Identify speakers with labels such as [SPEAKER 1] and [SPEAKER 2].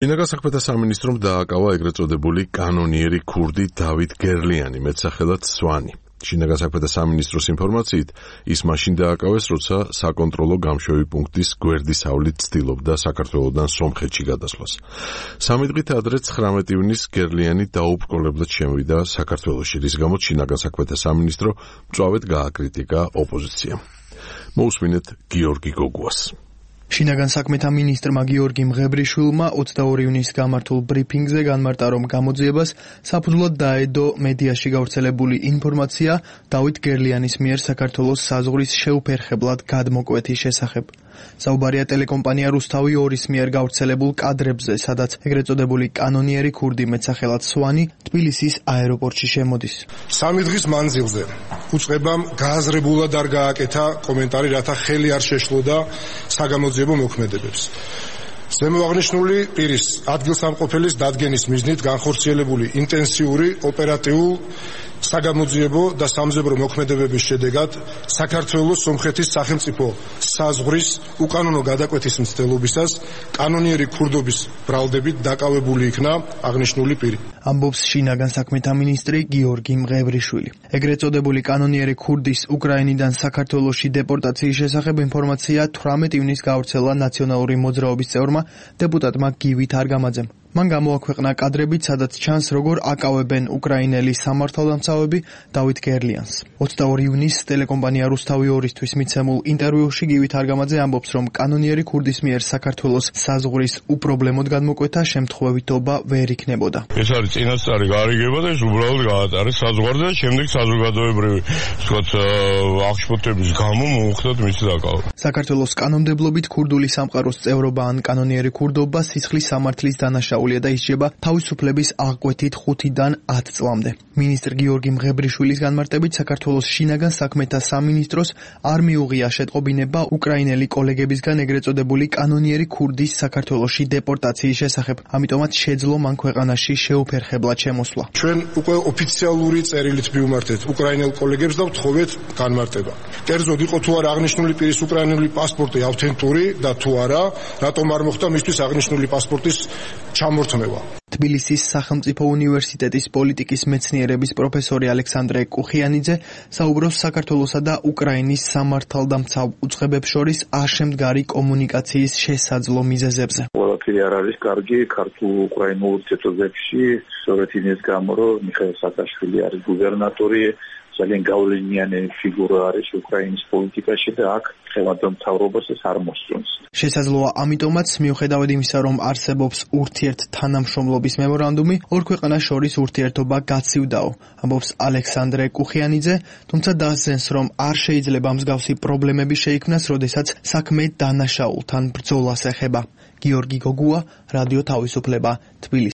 [SPEAKER 1] შინაგან საქმეთა სამინისტრომ დააკავა ეგრეთ წოდებული კანონიერი ქურდი დავით გერლიანი, მეტსახელად სვანი. შინაგან საქმეთა სამინისტროს ინფორმაციით, ის მაშინ დააკავეს, როცა საკონტროლო გამშვევი პუნქტის გვერდისავლით ცდილობდა საქართველოდან სომხეთში გადასვლას. 3 დღით ადრე 19 ივნისს გერლიანი დაუბრკოლებლად შემოვიდა საქართველოში, რის გამოც შინაგან საქმეთა სამინისტრო მწვავედ გააკრიტიკა ოპოზიციამ. მოусმინეთ გიორგი გოგუას.
[SPEAKER 2] შინაგან საქმეთა მინისტრმა გიორგი მღებრიშვილმა 22 ივნისს გამართულ ბრიფინგზე განმარტა, რომ გამოძიებას საფუძვლად დაედო მედიაში გავრცელებული ინფორმაცია დავით გერლიანის მიერ საქართველოს საზღვრის შეუფერხებლად გადმოკვეთის შესახებ. საუბარია ტელეკომპანია რუსთავი 2-ის მიერ გავრცელებულ კადრებზე, სადაც ეგრეთ წოდებული კანონიერი ქურდი მეტსახელად სვანი თბილისის აეროპორტში შემოდის.
[SPEAKER 3] 3 დღის მანძილზე უწყებამ გააზრებულად არ გააკეთა კომენტარი, რათა ხელი არ შეშლოდა საგამოძიებო მოქმედებებს. ზემოაღნიშნული პირის ადგილსამყოფელის დადგენის მიზნით განხორციელებული ინტენსიური ოპერატიულ საგამოძიებო და სამძებრო მოქმედებების შედეგად საქართველოს სომხეთის სახელმწიფო საზღვრის უკანონო გადაკვეთის მცდელობისას კანონიერი ქურდობის ბრალდებით დაკავებული იქნა აღნიშნული პირი.
[SPEAKER 2] ამბობს შინაგან საქმეთა მინისტრი გიორგი მღებრიშვილი. ეგრეთ წოდებული კანონიერი ქურდის უკრაინიდან საქართველოში დეპორტაციის შესახებ ინფორმაცია 18 ივნისს გავრცელა ნაციონალური მოძრაობის წევრმა დეპუტატმა გივით არგამაძემ. მან გამოაქვეყნა კადრებით, სადაც ჩანს, როგორ აკავებენ უკრაინელი სამართალდამცავები დავით გერლიანს. 22 ივნისს ტელეკომპანია რუსთავი 2-ისთვის მიცემულ ინტერვიუში გივით არგამაძე ამბობს, რომ კანონიერი ქურდის მიერ საქართველოს საზღვრის უპრობლემოდ გადმოკვეთა შემთხვევითობა ვერ იქნებოდა.
[SPEAKER 4] ეს არის წინასწარი გარიგება და ეს უბრალოდ გაატარეს საზღვარზე და შემდეგ საზოგადოებრივი აღშფოთების გამო მოუხდათ მისი დაკავება.
[SPEAKER 2] საქართველოს კანონმდებლობით ქურდული სამყაროს წევრობა ან კანონიერი ქურდობა სისხლის სამართლის დანაშაულია და ისჯება თავისუფლების აღკვეთით 5-დან 10 წლამდე. მინისტრ გიორგი მღებრიშვილის განმარტებით, საქართველოს შინაგან საქმეთა სამინისტროს არ მიუღია შეტყობინება უკრაინელი კოლეგებისგან ეგრეთ წოდებული კანონიერი ქურდის საქართველოში დეპორტაციის შესახებ. ამიტომაც შეძლო მან ქვეყანაში შეუფერხებლად შემოსვლა.
[SPEAKER 3] ჩვენ უკვე ოფიციალური წერილით მივმართეთ უკრაინელ კოლეგებს და ვთხოვეთ განმარტება. კერძოდ იყო თუ არა აღნიშნული პირის უკრაინული პასპორტი ავთენტური და თუ არა, რატომ არ მოხდა მისთვის აღნიშნული პასპორტის ჩამორთმევა.
[SPEAKER 2] თბილისის სახელმწიფო უნივერსიტეტის პოლიტიკის მეცნიერების პროფესორი ალექსანდრე კუხიანიძე საუბრობს საქართველოსა და უკრაინის სამართალდამცავ უწყებებს შორის არშემდგარი კომუნიკაციის შესაძლო მიზეზებზე.
[SPEAKER 5] ყველაფერი არ არის კარგი ქართულ-უკრაინულ ურთიერთობებში, სწორედ იმის გამო, რომ მიხეილ სააკაშვილი არის გუბერნატორი, ძალიან გავლენიანი ფიგურა არის უკრაინის პოლიტიკაში და აქ ხელმძღვანელ მთავრობას ეს არ მოსწონს.
[SPEAKER 2] შესაძლოა ამიტომაც, მიუხედავად იმისა, რომ არსებობს ურთიერთთანამშრომლობის მემორანდუმი, ორ ქვეყანას შორის ურთიერთობა გაცივდაო, ამბობს ალექსანდრე კუხიანიძე, თუმცა დასძენს, რომ არ შეიძლება მსგავსი პრობლემები შეიქმნას, როდესაც საქმე დანაშაულთან ბრძოლას ეხება. გიორგი გოგუა, რადიო თავისუფლება, თბილისი.